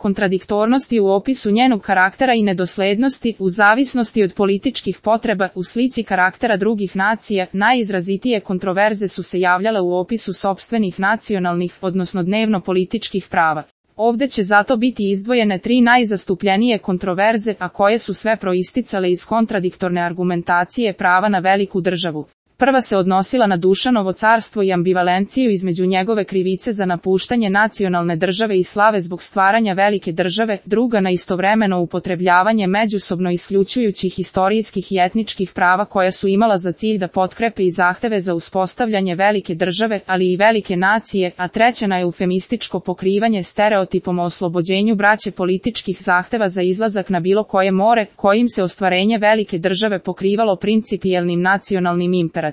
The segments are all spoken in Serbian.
kontradiktornosti u opisu njenog karaktera i nedoslednosti u zavisnosti od političkih potreba u slici karaktera drugih nacija, najizrazitije kontroverze su se javljale u opisu sopstvenih nacionalnih, odnosno dnevno-političkih prava. Ovde će zato biti izdvojene 3 najzastupljenije kontroverze, a koje su sve proisticale iz kontradiktorne argumentacije prava na veliku državu. Prva se odnosila na Dušanovo carstvo i ambivalenciju između njegove krivice za napuštanje nacionalne države i slave zbog stvaranja velike države, druga na istovremeno upotrebljavanje međusobno isključujućih istorijskih i etničkih prava koja su imala za cilj da potkrepe i zahteve za uspostavljanje velike države, ali i velike nacije, a treća na eufemističko pokrivanje stereotipom o oslobođenju braće političkih zahteva za izlazak na bilo koje more, kojim se ostvarenje velike države pokrivalo principijelnim nacionalnim imperativima.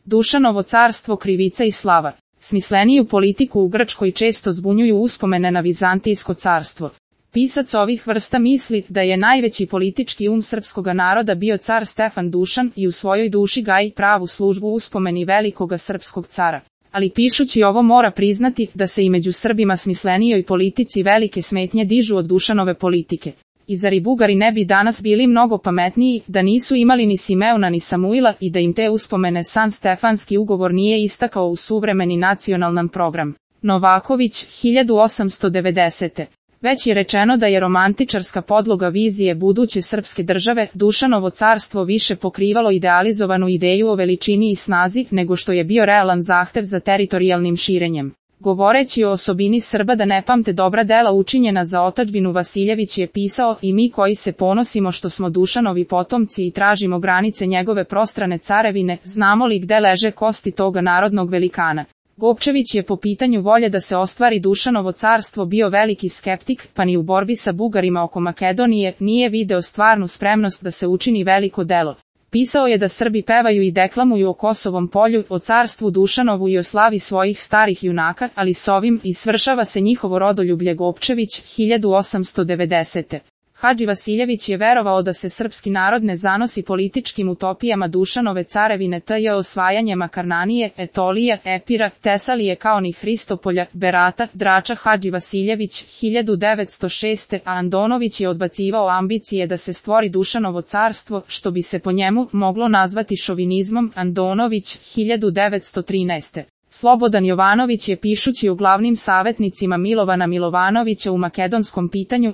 Dušanovo carstvo, krivica i slava. Smisleniju politiku u Grčkoj često zbunjuju uspomene na Vizantijsko carstvo. Pisac ovih vrsta misli da je najveći politički srpskoga naroda bio car Stefan Dušan i u svojoj duši gaji pravu službu uspomeni velikoga srpskog cara. Ali pišući ovo mora priznati da se i među Srbima smislenijoj politici velike smetnje dižu od Dušanove politike. I zar i Bugari ne bi danas bili mnogo pametniji da nisu imali ni Simeona ni Samuila i da im te uspomene San Stefanski ugovor nije istakao u suvremeni nacionalan program. Novaković, 1890. Već je rečeno da je romantičarska podloga vizije buduće srpske države, Dušanovo carstvo više pokrivalo idealizovanu ideju o veličini i snazi nego što je bio realan zahtev za teritorijalnim širenjem. Govoreći o osobini Srba da ne pamte dobra dela učinjena za otadžbinu, Vasiljević je pisao: i mi koji se ponosimo što smo Dušanovi potomci i tražimo granice njegove prostrane carevine, znamo li gde leže kosti toga narodnog velikana. Gopčević je po pitanju volje da se ostvari Dušanovo carstvo bio veliki skeptik, pa ni u borbi sa Bugarima oko Makedonije nije video stvarnu spremnost da se učini veliko delo. Pisao je da Srbi pevaju i deklamuju o Kosovom polju, o carstvu Dušanovu i o slavi svojih starih junaka, ali s ovim i svršava se njihovo rodoljublje. Gopčević, 1890. Hadži Vasiljević je verovao da se srpski narod ne zanosi političkim utopijama Dušanove carevine tj. osvajanje Makarnanije, Etolije, Epira, Tesalije kao ni Hristopolja, Berata, Drača. Hadži Vasiljević, 1906. A Andonović je odbacivao ambicije da se stvori Dušanovo carstvo, što bi se po njemu moglo nazvati šovinizmom. Andonović, 1913. Slobodan Jovanović je pišući o glavnim savjetnicima Milovana Milovanovića u makedonskom pitanju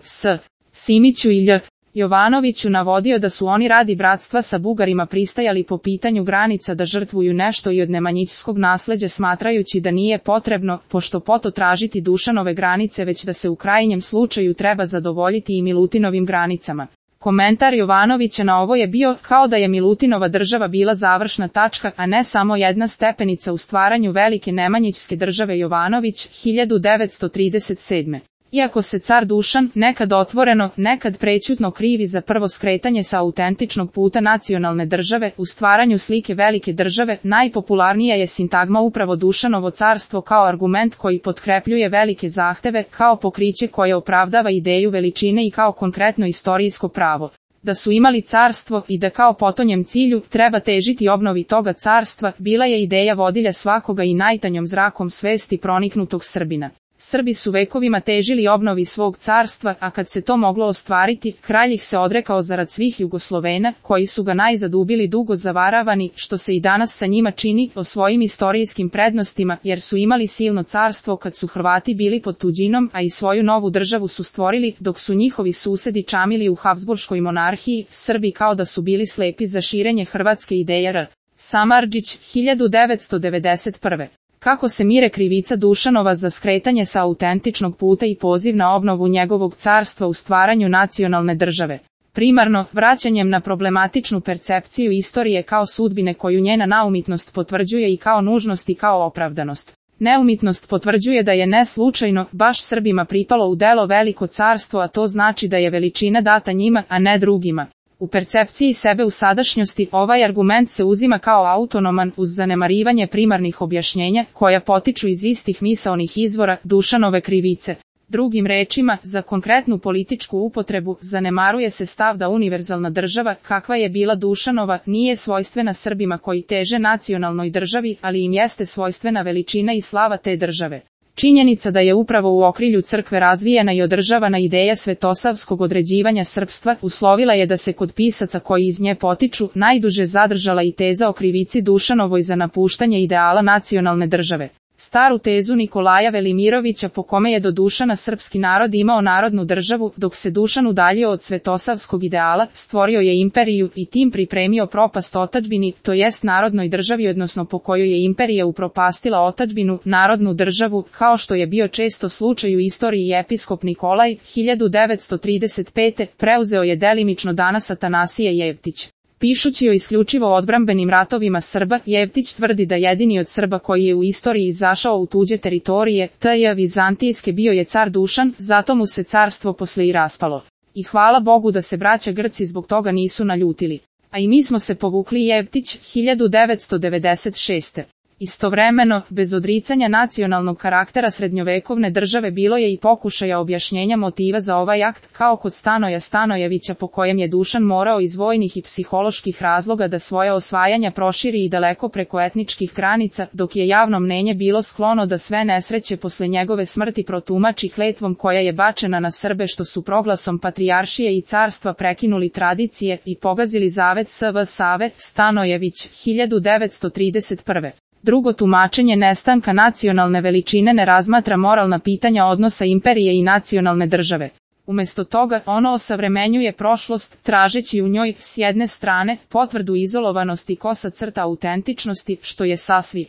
Simiću i Jovanoviću navodio da su oni radi bratstva sa Bugarima pristajali po pitanju granica da žrtvuju nešto i od nemanjićskog nasleđa, smatrajući da nije potrebno, pošto poto tražiti Dušanove granice, već da se u krajnjem slučaju treba zadovoljiti i Milutinovim granicama. Komentar Jovanovića na ovo je bio kao da je Milutinova država bila završna tačka, a ne samo jedna stepenica u stvaranju velike nemanjićske države. Jovanović, 1937. Iako se car Dušan, nekad otvoreno, nekad prećutno krivi za prvo skretanje sa autentičnog puta nacionalne države, u stvaranju slike velike države, najpopularnija je sintagma upravo Dušanovo carstvo kao argument koji potkrepljuje velike zahteve, kao pokriće koje opravdava ideju veličine i kao konkretno istorijsko pravo. Da su imali carstvo i da kao potonjem cilju treba težiti obnovi toga carstva, bila je ideja vodilja svakoga i najtanjom zrakom svesti proniknutog Srbina. Srbi su vekovima težili obnovi svog carstva, a kad se to moglo ostvariti, kralj ih se odrekao zarad svih Jugoslovena, koji su ga najzad ubili dugo zavaravani, što se i danas sa njima čini, o svojim istorijskim prednostima, jer su imali silno carstvo kad su Hrvati bili pod tuđinom, a i svoju novu državu su stvorili, dok su njihovi susedi čamili u Habsburškoj monarhiji. Srbi kao da su bili slepi za širenje hrvatske ideje. Samardžić, 1991. Kako se mire krivica Dušanova za skretanje sa autentičnog puta i poziv na obnovu njegovog carstva u stvaranju nacionalne države. Primarno, vraćanjem na problematičnu percepciju istorije kao sudbine koju njena naumitnost potvrđuje i kao nužnost i kao opravdanost. Neumitnost potvrđuje da je ne slučajno baš Srbima pripalo u delo veliko carstvo, a to znači da je veličina data njima, a ne drugima. U percepciji sebe u sadašnjosti ovaj argument se uzima kao autonoman uz zanemarivanje primarnih objašnjenja koja potiču iz istih misaonih izvora Dušanove krivice. Drugim rečima, za konkretnu političku upotrebu zanemaruje se stav da univerzalna država, kakva je bila Dušanova, nije svojstvena Srbima koji teže nacionalnoj državi, ali im jeste svojstvena veličina i slava te države. Činjenica da je upravo u okrilju crkve razvijena i održavana ideja svetosavskog određivanja srpstva uslovila je da se kod pisaca koji iz nje potiču najduže zadržala i teza o krivici Dušanovoj za napuštanje ideala nacionalne države. Staru tezu Nikolaja Velimirovića po kome je do Dušana srpski narod imao narodnu državu, dok se Dušan udaljio od svetosavskog ideala, stvorio je imperiju i tim pripremio propast otadžbini, to jest narodnoj državi, odnosno po kojoj je imperija upropastila otadžbinu, narodnu državu, kao što je bio često slučaj u istoriji. Episkop Nikolaj, 1935. preuzeo je delimično danas Atanasije Jevtić. Pišući o isključivo odbrambenim ratovima Srba, Jevtić tvrdi da jedini od Srba koji je u istoriji izašao u tuđe teritorije, t.j. vizantijske, bio je car Dušan, zato mu se carstvo posle i raspalo. I hvala Bogu da se braća Grci zbog toga nisu naljutili. A i mi smo se povukli. Jevtić, 1996. Istovremeno, bez odricanja nacionalnog karaktera srednjovekovne države bilo je i pokušaja objašnjenja motiva za ovaj akt, kao kod Stanoja Stanojevića, po kojem je Dušan morao iz vojnih i psiholoških razloga da svoje osvajanja proširi i daleko preko etničkih granica, dok je javno mnenje bilo sklono da sve nesreće posle njegove smrti protumači kletvom koja je bačena na Srbe, što su proglasom patrijaršije i carstva prekinuli tradicije i pogazili zavet S.V. Save. Stanojević, 1931. Drugo tumačenje nestanka nacionalne veličine ne razmatra moralna pitanja odnosa imperije i nacionalne države. Umesto toga, ono osavremenjuje prošlost, tražeći u njoj, s jedne strane, potvrdu izolovanosti kosa crta autentičnosti, što je sasvim